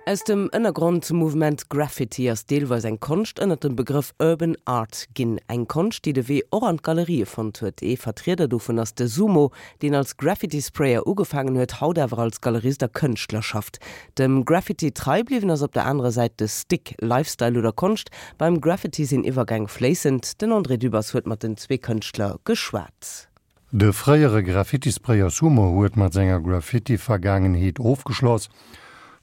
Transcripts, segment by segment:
Aus dem Ënnergrondmouvement Graffiti ass deelweis eng Konscht ënnert dem Begrëff Urban Art ginn. Eng Konscht, déi de Wee och an d'Galerië fonnt huet. Ee Vertrieder dovun ass de Sumo, deen als Graffiti-Sprayer ugefaangen huet, haut awer als Galerist a Kënschtler schafft. Dem Graffiti trei bliwwen ass op der anerer Säit de Stick. Lifestyle oder Konscht? Beim Graffiti sinn Iwwergäng fléissend. Den André Dübbers huet mat den zwee Kënschtler geschwat. De fréiere Graffitisprayer Sumo huet mat senger Graffiti-Vergaangenheet ofgeschloss,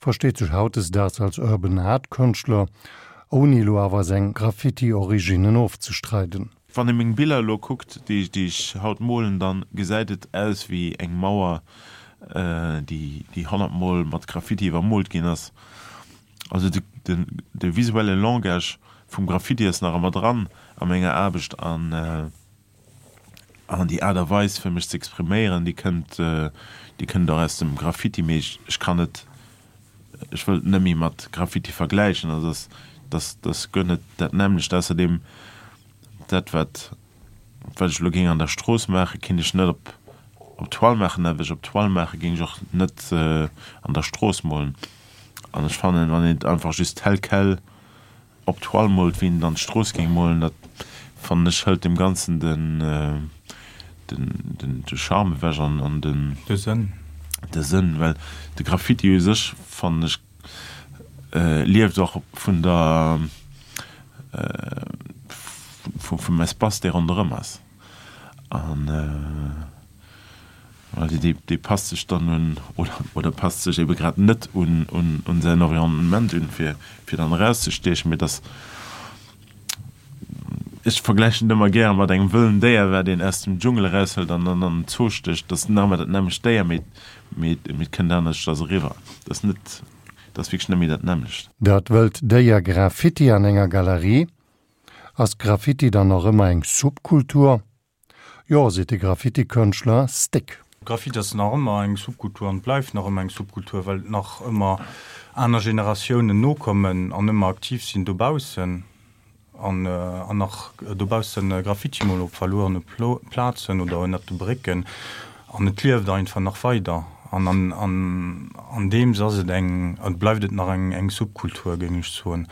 versteet sech hautdesdaags als Urban Art Kënschtler, ouni elo awer seng Graffiti-Originnen ofzestreiden. Wann ee meng Biller elo kuckt, déi ech haut molen, dann gesäit et aus wéi eng Mauer, déi 100 mol mat Graffiti iwwermoolt ginn ass. Also de visuelle Langage vum Graffiti ass nach ëmmer dran a menger Aarbecht an. An déi Aart a Weis fir mech ze expriméieren, déi kënnt, déi kënnt och aus dem Graffiti, mee ech, ech kann et, ech wëll et net méi mat Graffiti vergläichen. Also dass, dass, dass guer net dat nämmlecht. Ausserdeem, dat wat, wat ech elo géing an der Strooss maachen, kinnt ech net op, op Toile maachen. Dat wat ech op Toile maachen, géing ech och net an der Strooss molen. An ech fannen, wann een et einfach just tel quel Op d'Toile moolt, wéi een et an d'Strooss géing molen, dat fannen ech hëlt dem Ganzen den de Charme ewech an an den. De Sënn. De Sënn, well de Graffiti u sech, fannen ech, lieft och vun der vum Espace, dee ronderëm ass an. Well dee passt sech dann un, oder passt sech ebe grad net un säin Environnement un, fir dann erauszestiechen. Mee dass, ech vergläichen et ëmmer gäre mat engem wëllen Déier, wat een aus dem Dschungel eraushëlt an dann an den Zoo stécht. Dat ass nach ëmmer dat nämmlecht Déier, mee et kënnt aneschters eriwwer. Dat ass net, dat ass wierklech net méi dat nämmlecht. Dat wëllt Déier Graffiti an enger Galerie? Ass Graffiti dann nach ëmmer eng Subkultur? Jo, seet de Graffiti-Kënschtler Stick. Graffiti ass nach ëmmer eng Subkultur an bleift nach ëmmer eng Subkultur, well et nach ëmmer aner Generatiounen nokommen an ëmmer aktiv sinn dobaussen an nach dobaussen Graffiti molen op verluerene Plazen oder ënnert de Brécken an et lieft einfach nach weider an an deems ass et eng, bleift et nach eng Subkultur, géing ech soen,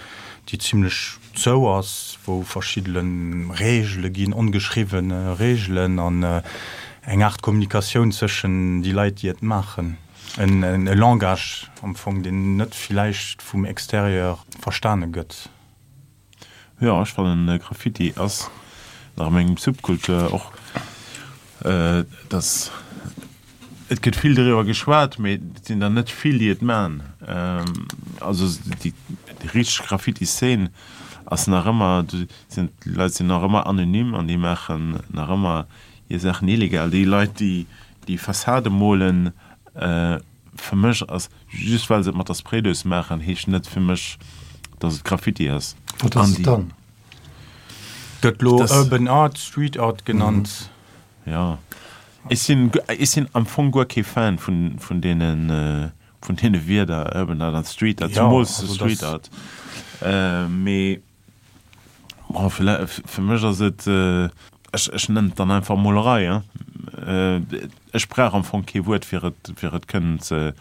déi zimlech. Zou ass, wou verschiddene Regele ginn, ongeschriwwene Regelen an eng Aart Kommunikatioun zwëschen déi Leit, déi et maachen, e Langage am Fong, deen net villäicht vum Extérieur verstane gëtt. Jo, ech fannen Graffiti ass nach ëmmer eng Subkultur, och dass Et gëtt vill doriwwer geschwat, mee et sinn der net vill, déi et maachen. Also déi richteg Graffiti-Szene ass nach ëmmer, do sinn d'Leit sinn nach ëmmer anonym an déi maachen nach ëmmer hir Saachen illegal. Déi Leit, déi déi Fassade molen, fir mech ass, just well se et mat der Spraydous maachen, heescht net fir mech, datt et Graffiti ass. Wat ass et dann? Gëtt lo Urban Art, Street Art genannt. Jo. Ech sinn, ech sinn am Fong guer kee Fan vun, vun deenen, vun deene Wierder Urban Art an Street Art, zemools Street Art. Mee bon, fir mech ass et, ech, ech nennen et dann einfach Molerei, hein. Ech brauch am Fong kee Wuert, fir et, fir et kënnen ze,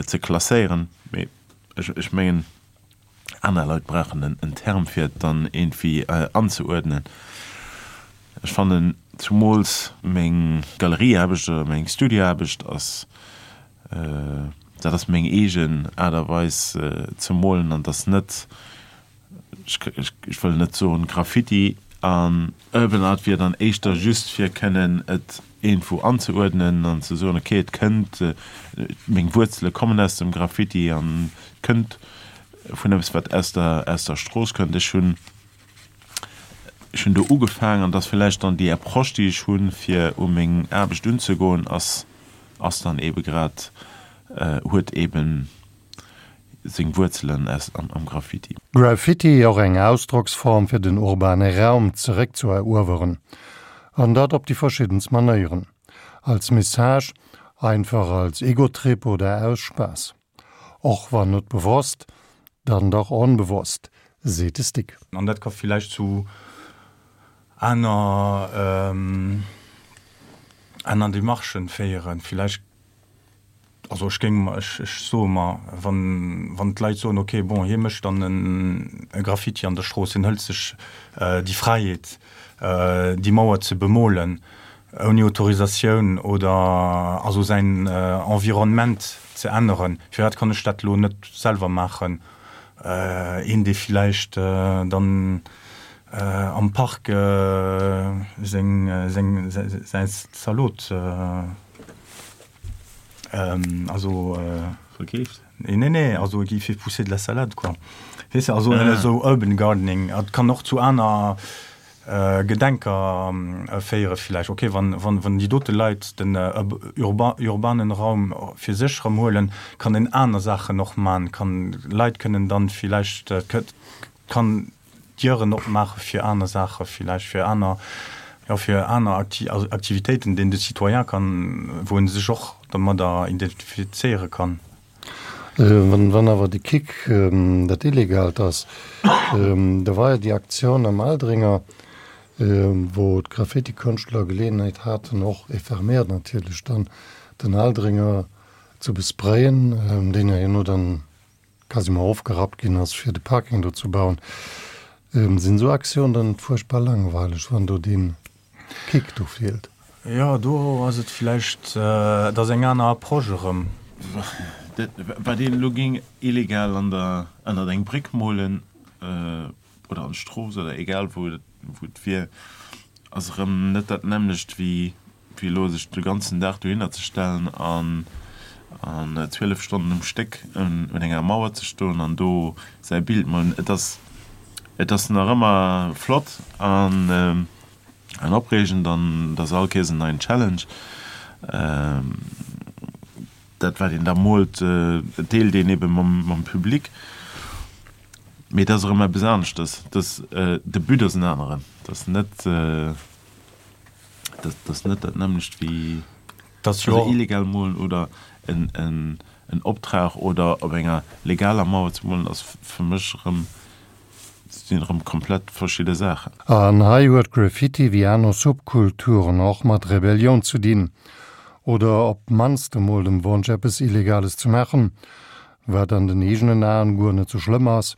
ze klasséieren. Mee ech, ech mengen. Aner Leit brauchen en Term fir et dann iergendwéi anzeuerdnen. Ech fannen zumools meng Galerieaarbecht oder meng Studioaarbecht ass, dat ass meng eegen Aart a Weis ze molen an dat ass net, ech wëll net soen Graffiti. An Urban Art wier dann éischter just fir kënnen et iergendwou anzeuerdnen an ze soen, okay et kënnt, meng Wuerzele kommen aus dem Graffiti an et kënnt vun eppes wat aus der aus der Strooss kënnt. Ech hunn ech hunn do ugefaangen an dass villäicht dann déi Approche déi ech hunn fir u meng Aarbecht unzegoen ass ass dann eebe grad huet eeben seng Wuerzelen aus am am Graffiti. Graffiti, och eng Ausdrocksform fir den urbane Raum zeréck zu erueweren. An dat op déi verschiddenst Manéieren. Als Message, einfach als Egotrip oder aus Spaass. Och wann net bewosst, dann dach onbewosst, seet de Stick. An dat ka villäicht zu aner aner Demarchen féieren. Villäicht. Also ech géing mer, ech soe mer, wann, wann d'Leit soen, okay, bon, hie mécht dann e Graffiti an der Strooss, hien hëlt sech déi Fräiheet, déi Mauer ze bemolen ouni Autorisatioun oder also säin Environnement ze änneren, firwat kann ech dat elo net selwer maachen? Een, dee villäicht dann am Park seng, seng, säi Zalot. Also verkeeft? Nee, nee, nee, also il fait pousser de la salade quoi. Weess de, also ah. esou Urban Gardening, et kann och zu aner äh, Gedenker äh, féiere villäicht. Okay, wann, wann, wann déi dote Leit den äh, urba, urbanen Raum fir sech erëm huelen, kann en aner Saachen och man, kann Leit kënnen dann villäicht äh, kann Dieren opmaache fir aner Saache villäicht, fir aner, jo, fir aner Aktivitéiten, deen de Citoyen kann, wou en sech och domadder identifizéiere kann. Wann awer de Kick dat Illegaalt ass, da war jo déi Aktioun am Aldringer, wou d'Graffitikënschtler Geleeënheet haten, och éphémère natierlech dann, den Aldringer ze besprayen, deen jo herno dann quasiment ofgerappt ginn ass fir de Parking do ze bauen. Sinn esou Aktiounen dann net fuerchtbar langweileg, wann do dee Kick do feelt? Jo, do ass et vläicht, et ass eng aner Approche erëm. Wat een elo géing illegal an der, ënnert eng Bréck molen oder an d'Strooss oder egal wou et wier, ass erëm net dat nämmlecht wéi wéi elo sech de ganzen Dag dohinner ze stellen an an 12 Stonnen um Stéck un enger Mauer ze stoen an do säi Bild molen. Et ass et ass nach ëmmer flott an an opreegend an et ass all Kéiers en neien Challenge. Dat wat een da moolt deelt een ebe mam mam Public. Mee et ass erëm eppes aneschtes. Et ass de But ass en aneren. Et ass net. Dat ass net dat nämmlecht wéi also illegal molen oder en, en, en Optrag oder op enger legaler Mauer ze molen ass fir mech erëm, sinn erëm komplett verschidde Saachen. An hei huet Graffiti wéi aner Subkulturen och mat Rebellioun ze dinn, oder op d'mannst emol dem Wonsch eppes Illegales ze maachen, wat an den eegenen Aen guer net sou schlëmm ass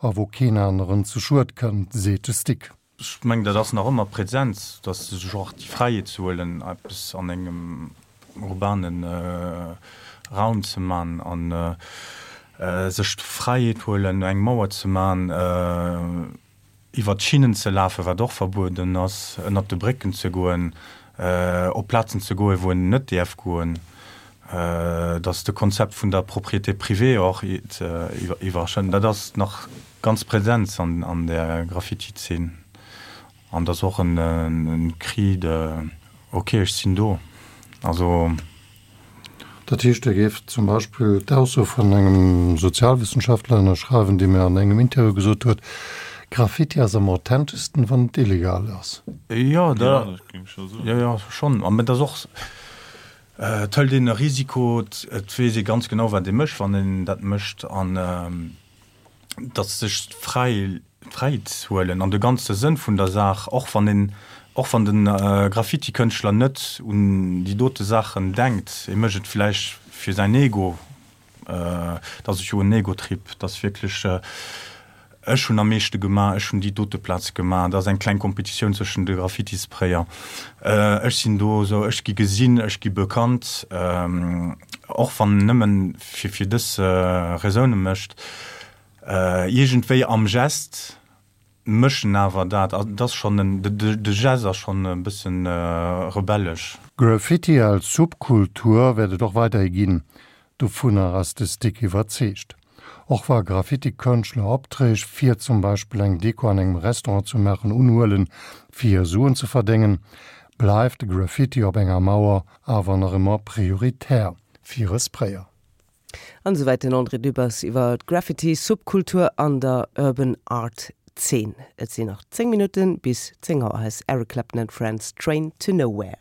a wou keen aneren zu Schued kënnt, seet de Stick. Ech mengen, dat ass nach ëmmer present, dass se sech och déi Fräiheet ze huelen, eppes an engem urbane Raum ze man a sech d'Fräiheet huelen, eng Mauer ze man, iwwert d'Schinnen ze lafen, wat och verbueden ass, ënnert de Brécken ze goen, op Plazen ze goen, wou een net däerf goen. Dass de Konzept vun der Propriété privée och iwwerschënnt, dat ass nach ganz present an der Graffiti-Zeen. An dat ass och en Cri de ok, ech sinn do. Also. Dat heescht, Dir géift zum Beispill d'Ausso vun engem Sozialwissenschaftler ënnerschreiwen, dee mir an engem Interview gesot huet, Graffiti ass am authenteschsten, wann et illegal ass. Jo, jo, schonn. Mä et ass och Et hëlt een e Risiko, et weess ee ganz genau, wat ee mécht, wann een dat mécht, an datt sech d'Fräiheet huelen an de ganze Sënn vun der Saach, och wann een, och wann de Graffiti-Kënschtler net un déi dote Saachen denkt, e mécht et vläicht fir säin Ego, Et ass jo en Egotrip, et ass wierklech, ech hunn am meeschte gemaach, ech hunn déi dote Plaz gemaach, et ass eng kleng Kompetitioun zwëschen de Graffitisprayer, ech sinn do esou, ech gi gesinn, ech gi bekannt, och wann en nëmmen fir fir dës Raisoune mécht, iergendwéi am Gest. Mëschen awer dat, et ass schonn en, de Geste ass schonn e bëssen rebellesch. Graffiti als Subkultur wäert et och weiderhi ginn, dovunner ass de Stick iwwerzeegt. Och wa Graffiti-Kënschtler Opträg fir zum Beispill eng Deko an engem Restaurant ze maachen unhuelen, fir Suen ze verdéngen, bleift de Graffiti op enger Mauer awer nach ëmmer prioritär fir e Sprayer. An esouwäit den André Dübbers iwwer d'Graffiti-Subkultur an der Urban Art Zeen. Et sinn nach 10 Minutten bis 10 Auer. Hei ass Eric Clapton and Friends, Train to Nowhere.